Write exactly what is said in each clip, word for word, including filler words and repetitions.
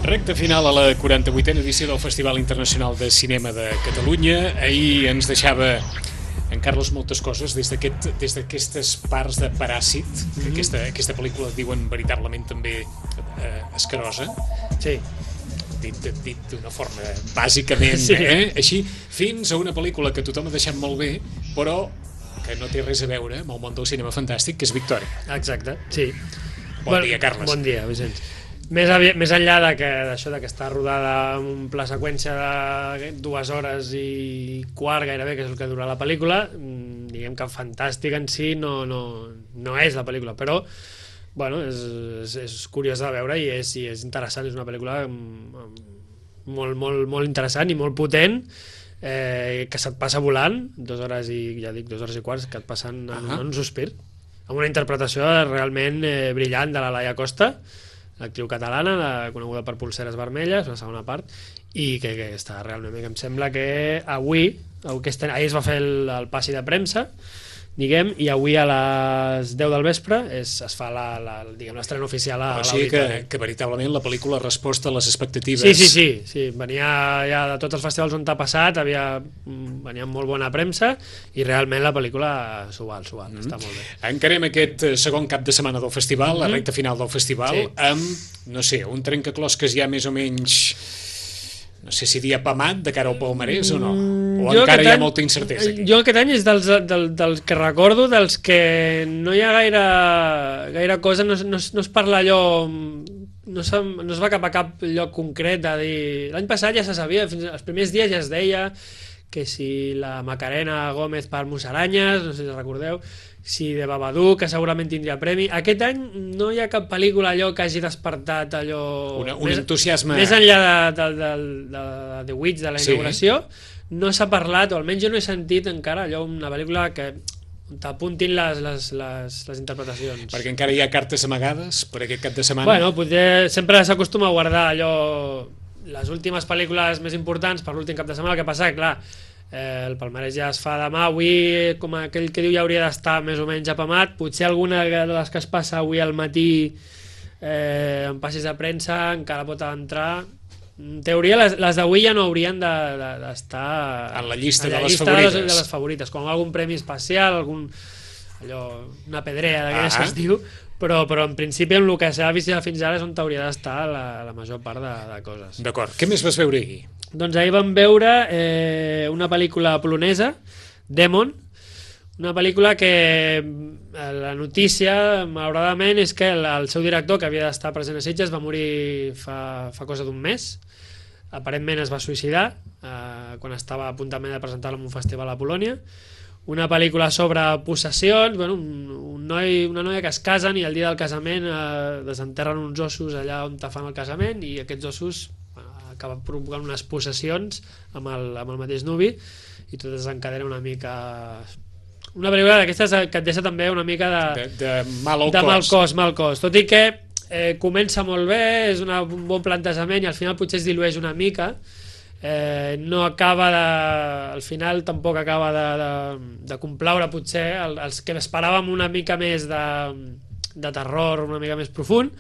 Recte final a la quaranta-vuitena edició del Festival Internacional de Cinema de Catalunya. Ahir ens deixava en Carlos moltes coses des d'aquest, des d'aquestes parts de Paràsit, que Mm-hmm. aquesta, aquesta pel·lícula diuen veritablement també eh, escarosa. Sí. Dit, dit d'una forma bàsicament, Sí. eh? Així, fins a una pel·lícula que tothom ha deixat molt bé, però que no té res a veure amb el món del cinema fantàstic, que és Victòria. Exacte, sí. Bon dia, Carles. Bon dia, Vicenç. Més, avi- més enllà de que, d'això de que està rodada en un pla seqüència de dues hores i quart gairebé, que és el que dura la pel·lícula, mm, diguem que fantàstic en si no, no, no és la pel·lícula, però bueno, és, és, és curiós de veure i és, i és interessant, és una pel·lícula mm, molt, molt, molt interessant i molt potent, eh, que se't passa volant, dues hores i, ja dic, dues hores i quarts, que et passen en, Ahà. en un sospir, amb una interpretació realment eh, brillant de la Laia Costa, l'actriu catalana, la, coneguda per Polseres Vermelles, la segona part, i que, que està realment bé, que em sembla que avui, aquesta, ahir es va fer el, el passi de premsa, diguem, i avui a les deu del vespre es, es fa la, la, diguem, l'estrena oficial a, O a sigui que, l'auditori. que veritablement la pel·lícula ha respost a les expectatives. Sí, sí, sí, sí, venia ja de tots els festivals on t'ha passat, havia, mm, venia amb molt bona premsa i realment la pel·lícula s'ho val, s'ho val, Mm-hmm. està molt bé. Encarem aquest eh, segon cap de setmana del festival, la Mhm. recta final del festival, Sí. amb, no sé, un trencaclosques ja més o menys, no sé si dir apamat de cara al palmarès o no, Mm, o jo encara aquest hi ha any- molta incertesa aquí. Jo aquest any és dels, del, dels que recordo, dels que no hi ha gaire, gaire cosa, no, es- no, es- no es parla allò, no, se, no es va cap a cap lloc concret de dir... L'any passat ja se sabia, fins als primers dies ja es deia que si la Macarena Gómez per Musaranyes, no sé si recordeu, si de Babadook, que segurament tindria premi. Aquest any no hi ha cap pel·lícula allò que hagi despertat allò... Una- un més, entusiasme. Més enllà de, de, de, de, de The Witch, de la Sí. inauguració, no s'ha parlat, o almenys jo no he sentit encara allò, una pel·lícula que t'apuntin les, les, les, les interpretacions. Perquè encara hi ha cartes amagades per aquest cap de setmana. Bueno, potser sempre s'acostuma a guardar allò, les últimes pel·lícules més importants per l'últim cap de setmana. El que passa, clar, eh, el palmarès ja es fa demà, avui, com aquell que diu, ja hauria d'estar més o menys apamat. Potser alguna de les que es passa avui al matí eh, en passis de premsa encara pot entrar. En teoria, les, les d'avui ja no haurien de- de- d'estar En la llista en de la les llista favorites. de les, de les favorites, com algun premi especial, algun, allò, una pedrea d'aquelles Ah. que es diu, però, però en principi en el que s'ha vist ja fins ara és on hauria d'estar la, la major part de, de coses. D'acord, què més vas veure ahir? Doncs ahir vam veure eh, una pel·lícula polonesa, Demon, una pel·lícula que eh, la notícia, malauradament, és que el, el seu director, que havia d'estar present a Sitges, va morir fa, fa cosa d'un mes. Aparentment es va suïcidar eh, quan estava a punt també de presentar-la en un festival a Polònia. Una pel·lícula sobre possessions, bueno, un, un noi, una noia que es casen i el dia del casament eh, desenterren uns ossos allà on te fan el casament i aquests ossos bueno, acaben provocant unes possessions amb el, amb el mateix nuvi i tot desencadena una mica... Una pel·lícula d'aquestes que et deixa també una mica de, De, de mal al de mal cos. cos, mal cos. Tot i que eh, comença molt bé, és una, un bon plantejament i al final potser es dilueix una mica, eh, no acaba de... al final tampoc acaba de, de, de complaure potser el, els que esperàvem una mica més de, de terror, una mica més profund,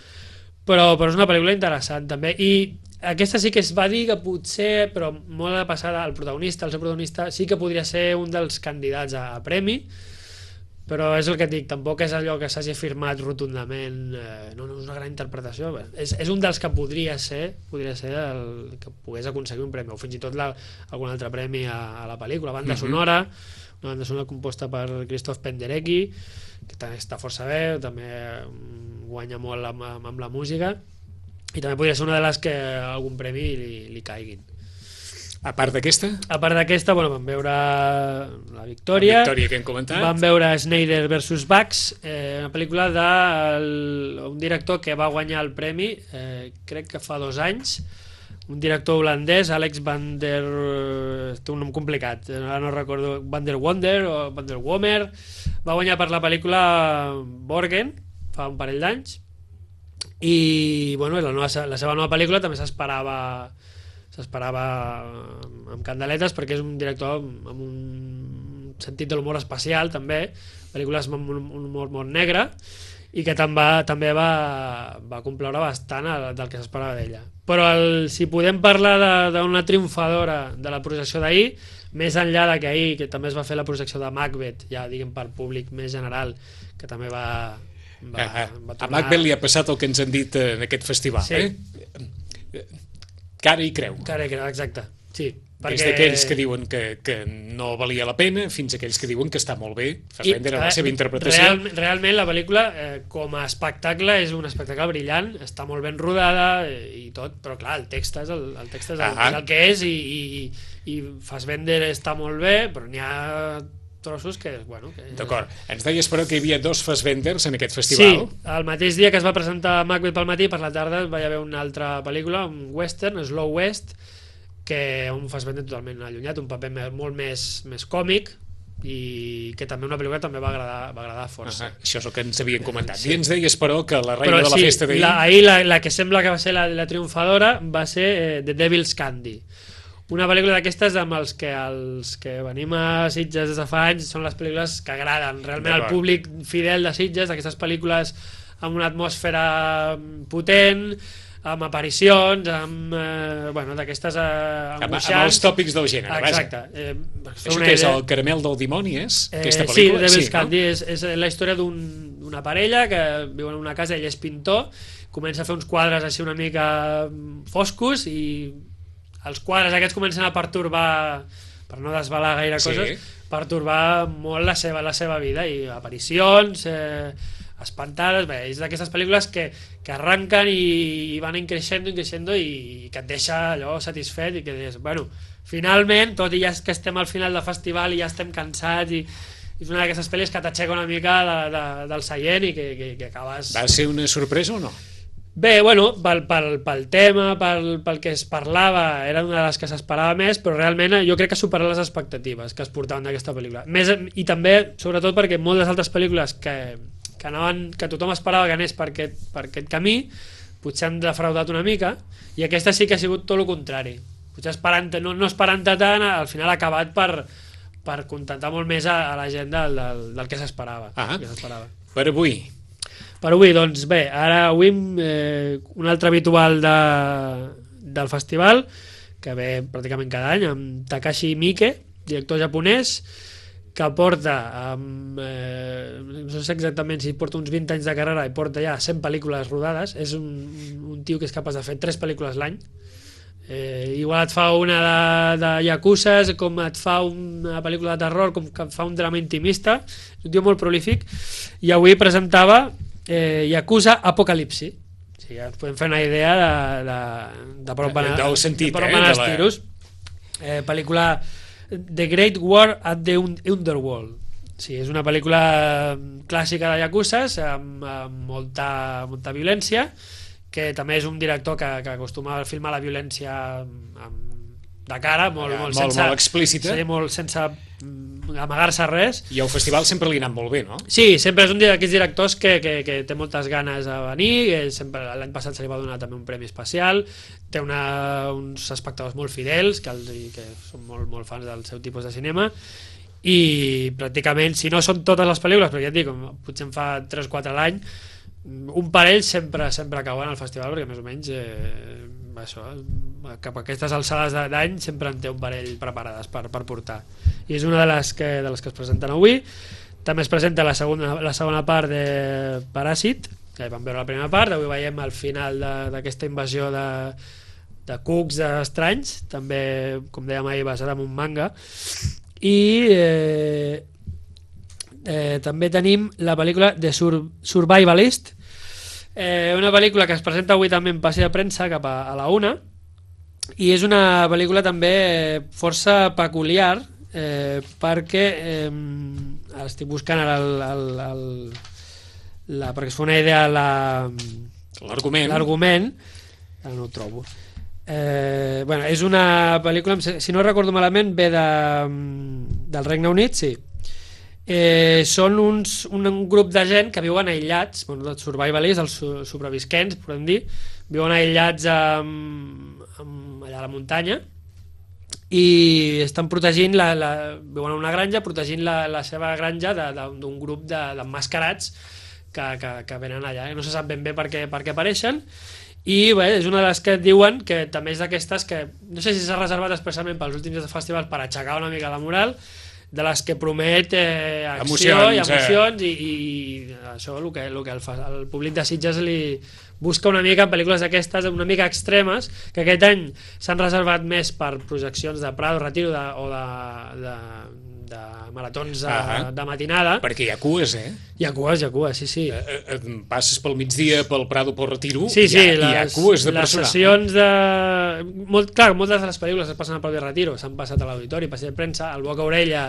però, però és una pel·lícula interessant també, i aquesta sí que es va dir que potser, però molt de passada, el protagonista, el seu protagonista, sí que podria ser un dels candidats a, a premi, però és el que et dic, tampoc és allò que s'hagi afirmat rotundament, eh, no, no, és una gran interpretació, bé, és, és un dels que podria ser, podria ser el que pogués aconseguir un premi, o fins i tot la, algun altre premi a, a la pel·lícula, banda Mhm. sonora, una banda sonora composta per Krzysztof Penderecki, que també està força bé, també mm, guanya molt amb, amb, amb la música, i també podria ser una de les que algun premi li, li caiguin. A part d'aquesta, A part d'aquesta, bueno, vam veure la Victòria, la Victòria que hem comentat. vam veure Snyder versus Bugs, eh, una pel·lícula d'un director que va guanyar el premi, eh, crec que fa dos anys, un director holandès, Alex van der... té un nom complicat, ara no recordo, Van der Wonder o Van der Womer, va guanyar per la pel·lícula Borgen, fa un parell d'anys, i bueno, la, nova, la seva nova pel·lícula també s'esperava s'esperava amb candeletes perquè és un director amb, amb un sentit de l'humor especial també, pel·lícules amb un, un humor molt negre i que també va, també va, va complaure bastant el, del que s'esperava d'ella. Però el, si podem parlar d'una triomfadora de la projecció d'ahir, més enllà de que ahir que també es va fer la projecció de Macbeth, ja diguem per públic més general, que també va... va, ah, va tornar... A Macbeth li ha passat el que ens han dit en aquest festival, sí. eh? Cara i creu. Cara i creu, exacte. Sí, perquè... Des d'aquells que diuen que, que no valia la pena fins a aquells que diuen que està molt bé. Fassbender en la seva interpretació. Real, realment la pel·lícula eh, com a espectacle és un espectacle brillant, està molt ben rodada eh, i tot, però clar, el text és el, el, text és el, és el que és i, i, i Fassbender està molt bé, però n'hi ha trossos que... Bueno, que... D'acord. Ens deies però que hi havia dos Fassbenders en aquest festival. Sí, el mateix dia que es va presentar Macbeth pel matí, per la tarda va haver una altra pel·lícula, un western, Slow West, que un Fassbender totalment allunyat, un paper molt més, més còmic i que també una pel·lícula també va agradar, va agradar força. Uh -huh. Això és el que ens havien comentat. Sí. I ens deies, però, que la reina però, de la sí, festa d'ahir... La, ahir la, la que sembla que va ser la, la triomfadora va ser eh, The Devil's Candy. Una pel·lícula d'aquestes amb els que els que venim a Sitges des de fa anys són les pel·lícules que agraden realment al públic fidel de Sitges, d'aquestes pel·lícules amb una atmosfera potent, amb aparicions, amb eh, bueno, d'aquestes eh, angoixants. Amb, amb els tòpics del gènere, exacte. Eh, Això que és el caramel del dimoni, és? Eh, aquesta sí, pel·lícula? Devil's Sí, Candy no? és, és la història d'una un, parella que viu en una casa, ell és pintor, comença a fer uns quadres així una mica foscos i els quadres aquests comencen a pertorbar, per no desvelar gaire coses, sí. pertorbar molt la seva, la seva vida i aparicions... Eh, espantades, bé, és d'aquestes pel·lícules que, que arranquen i, i van creixent i creixent i que et deixa allò satisfet i que dius, bueno, finalment, tot i ja que estem al final del festival i ja estem cansats i, i és una d'aquestes pel·lis que t'aixeca una mica de, de, del seient i que, que, que acabes... Va ser una sorpresa o no? Bé, bueno, pel, pel, pel tema, pel, pel que es parlava, era una de les que s'esperava més, però realment jo crec que ha superat les expectatives que es portaven d'aquesta pel·lícula. Més, i també, sobretot, perquè moltes altres pel·lícules que que, anaven, que tothom esperava que anés per aquest, per aquest camí, potser han defraudat una mica, i aquesta sí que ha sigut tot el contrari. Potser esperant, no, no esperant tant, al final ha acabat per, per contentar molt més a, a la gent del, del, del que s'esperava. Ah, que s'esperava. Per avui? Per avui, doncs bé, ara avui eh, un altre habitual de, del festival, que ve pràcticament cada any, amb Takashi Miike, director japonès, que porta amb, eh, no sé exactament si porta uns vint anys de carrera i porta ja cent pel·lícules rodades. És un, un tio que és capaç de fer tres pel·lícules l'any. Eh, igual et fa una de, de Yakuza, com et fa una pel·lícula de terror, com que et fa un drama intimista. És un tio molt prolífic, i avui presentava eh, Yakuza Apocalipsi. O sigui, ja ens podem fer una idea de, de, de per on van, del sentit, de per on eh, van de els la... tiros. Eh, pel·lícula The Great War at the Underworld. Sí, és una pel·lícula clàssica de Yakuzas amb, amb molta, molta violència, que també és un director que, que acostuma a filmar la violència amb, amb, de cara, molt, ja, molt, molt, sense, molt explícita, sí, molt sense amagar-se res. I al festival sempre li ha anat molt bé, no? Sí, sempre és un d'aquests directors que, que, que té moltes ganes de venir. L'any passat se li va donar també un premi especial, té una, uns espectadors molt fidels que, els, que són molt, molt fans del seu tipus de cinema, i pràcticament, si no són totes les pel·lícules, però ja et dic, potser en fa tres o quatre a l'any, un parell sempre sempre cauen al festival, perquè més o menys eh, això, cap a aquestes alçades d'any sempre en té un parell preparades per, per portar, i és una de les que, de les que es presenten avui. També es presenta la segona, la segona part de Paràsit, que vam veure la primera part, avui veiem el final d'aquesta invasió de, de cucs estranys, també, com dèiem ahir, basada en un manga. I eh, eh, també tenim la pel·lícula The Sur Survivalist, eh, una pel·lícula que es presenta avui també en passi de premsa cap a, a la una, i és una pel·lícula també força peculiar, eh, perquè eh, estic buscant ara el, el, el, la, perquè es fa una idea l'argument, l'argument ara no ho trobo. Eh, bueno, és una pel·lícula, si no recordo malament, ve de, del Regne Unit, sí. Eh, són uns, un, un grup de gent que viuen aïllats, bueno, els survivalists, els sobrevisquents, podem dir, viuen aïllats amb, amb, allà a la muntanya, i estan protegint la, la, viuen en una granja protegint la, la seva granja d'un grup d'emmascarats que, que, que venen allà, no se sap ben bé per què, per què apareixen, i bé, és una de les que diuen que també és d'aquestes que no sé si s'ha reservat expressament pels últims dies de festivals per aixecar una mica la moral, de les que promet eh, acció emocions, i emocions eh. i, i això el que, el, que el, el públic de Sitges li busca una mica en pel·lícules d'aquestes una mica extremes, que aquest any s'han reservat més per projeccions de Prado, Retiro de, o de, de, de maratons de, uh-huh. de matinada, perquè hi ha cues, eh? Hi ha cues, hi ha cues, sí, sí. Eh, eh, passes pel migdia pel Prado, pel Retiro, sí, sí, hi, ha, les, hi ha cues de les personal. Les sessions de... Molt, clar, moltes de les pel·lícules es passen al propi Retiro, s'han passat a l'auditori, passeig de premsa, el boca orella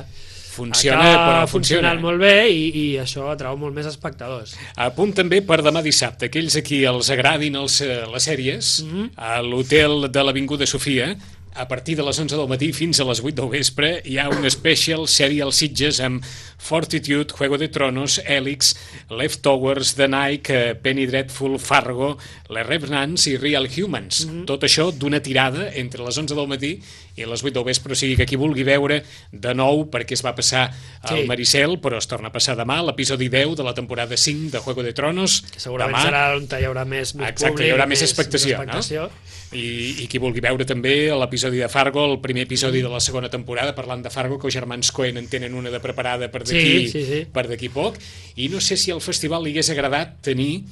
funciona, però funciona molt bé i, i això atrau molt més espectadors. A punt també per demà dissabte, aquells a qui els agradin els, les sèries, mm-hmm. a l'hotel de l'Avinguda Sofia, a partir de les onze del matí fins a les vuit del vespre hi ha un special sèrie als Sitges amb Fortitude, Juego de Tronos, Helix, Leftovers, The Night, Penny Dreadful, Fargo, Les Revenants i Real Humans. Mm-hmm. Tot això d'una tirada entre les onze del matí i les vuit del vespre, o sigui que qui vulgui veure de nou, perquè es va passar al sí. Maricel, però es torna a passar demà, l'episodi deu de la temporada cinc de Juego de Tronos. Que segurament demà serà on hi haurà més, més Exacte, públic, hi haurà més, més expectació, més expectació. No? I, i qui vulgui veure també l'episodi de Fargo, el primer episodi de la segona temporada, parlant de Fargo, que els germans Coen en tenen una de preparada per d'aquí sí, sí, sí. per d'aquí poc, i no sé si al festival li hagués agradat tenir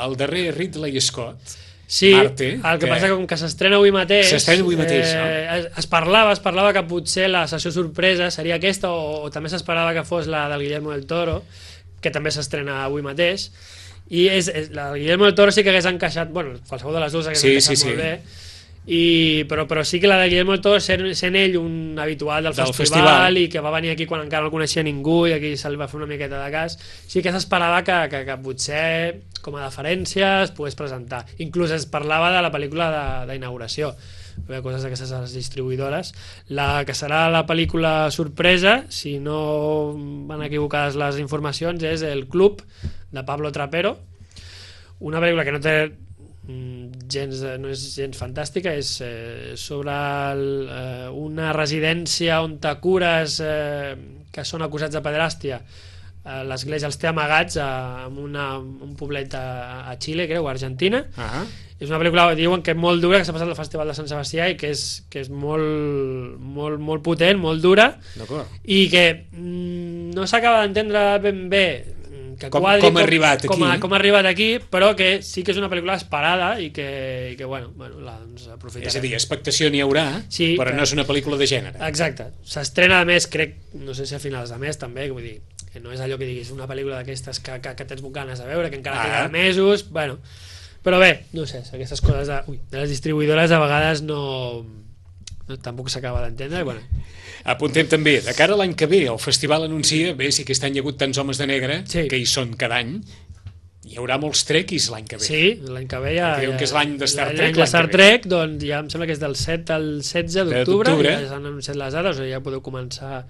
el darrer Ridley Scott, sí, Marte, el que, que passa que com que s'estrena avui mateix, s'estrena avui mateix eh, no? es, es parlava es parlava que potser la sessió sorpresa seria aquesta, o, o també s'esperava que fos la del Guillermo del Toro, que també s'estrena avui mateix, i és, és, la del Guillermo del Toro sí que hagués encaixat, bueno, qualsevol de les dues hagués sí, encaixat sí, molt sí. bé, i, però, però sí que la de Guillermo del Toro, sent, sent ell un habitual del, del festival, festival i que va venir aquí quan encara no el coneixia ningú i aquí se'l va fer una miqueta de cas, sí que s'esperava que, que, que potser com a deferència es pogués presentar, inclús es parlava de la pel·lícula d'inauguració, coses d'aquestes a les distribuïdores. La que serà la pel·lícula sorpresa, si no van equivocades les informacions, és El Club, de Pablo Trapero, una pel·lícula que no té gens, no és gens fantàstica, és eh, sobre el, eh, una residència on te cures eh, que són acusats de pederàstia. eh, l'església els té amagats a, en una, un poblet a, a Xile, creu, a Argentina. Uh-huh. És una pel·lícula, diuen que molt dura, que s'ha passat al Festival de Sant Sebastià i que és, que és molt, molt, molt potent, molt dura, i que mm, no s'acaba d'entendre ben bé que com, quadri, com, ha arribat com, aquí. Com, com ha arribat aquí, però que sí que és una pel·lícula esperada i que, i que bueno, bueno la, doncs, aprofitarem. És a dir, expectació n'hi haurà, sí, però que... no és una pel·lícula de gènere. Exacte. S'estrena, a més, crec, no sé si a finals de mes també, vull dir, que no és allò que diguis una pel·lícula d'aquestes que, que, que tens ganes de veure, que encara ah. queda mesos, bueno, però bé, no sé, aquestes coses de, ui, de les distribuïdores a vegades no, no tampoc s'acaba d'entendre, i bueno. Apuntem també, de cara a l'any que ve, el festival anuncia, bé, si aquest any hi ha hagut tants homes de negre, sí. que hi són cada any, hi haurà molts trequis l'any que ve. Sí, l'any que ve ja... Creiem que és l'any de Star Trek. L'any de Star Trek, doncs ja em sembla que és del set al setze d'octubre, ja s'han anunciat les dates, o sigui, ja podeu començar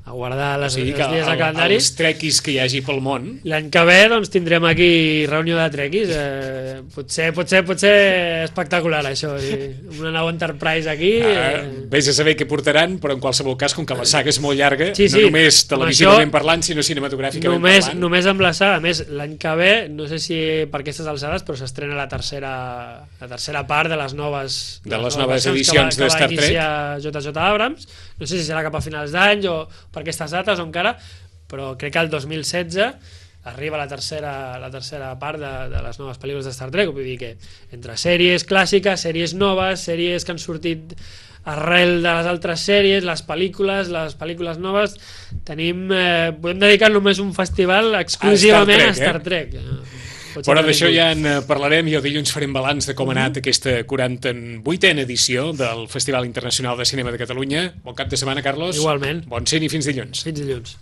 a guardar les, o sigui, els dies de calendari. Els trequis que hi hagi pel món. L'any que ve doncs, tindrem aquí reunió de trequis. Eh, potser, potser, potser espectacular, això. Una nau Enterprise aquí. Ah, eh... Vés a saber què portaran, però en qualsevol cas, com que la saga és molt llarga, sí, sí, no només televisivament això, parlant, sinó cinematogràficament només, parlant. Només amb la saga. A més, l'any que ve, no sé si per aquestes alçades, però s'estrena la tercera la tercera part de les noves, de les, les noves edicions que va, de Star Trek. Que va iniciar J J Abrams. No sé si serà cap a finals d'any o per aquestes dates o encara, però crec que el dos mil setze arriba la tercera, la tercera part de, de les noves pel·lícules de Star Trek. Vull dir que entre sèries clàssiques, sèries noves, sèries que han sortit arrel de les altres sèries, les pel·lícules, les pel·lícules noves, tenim, eh, podem dedicar només un festival exclusivament a Star Trek. A Star Trek. Eh? Però d'això ja en parlarem i el dilluns farem balanç de com ha anat aquesta quaranta-vuitena edició del Festival Internacional de Cinema de Catalunya. Bon cap de setmana, Carlos. Igualment. Bon cine i fins dilluns. Fins dilluns.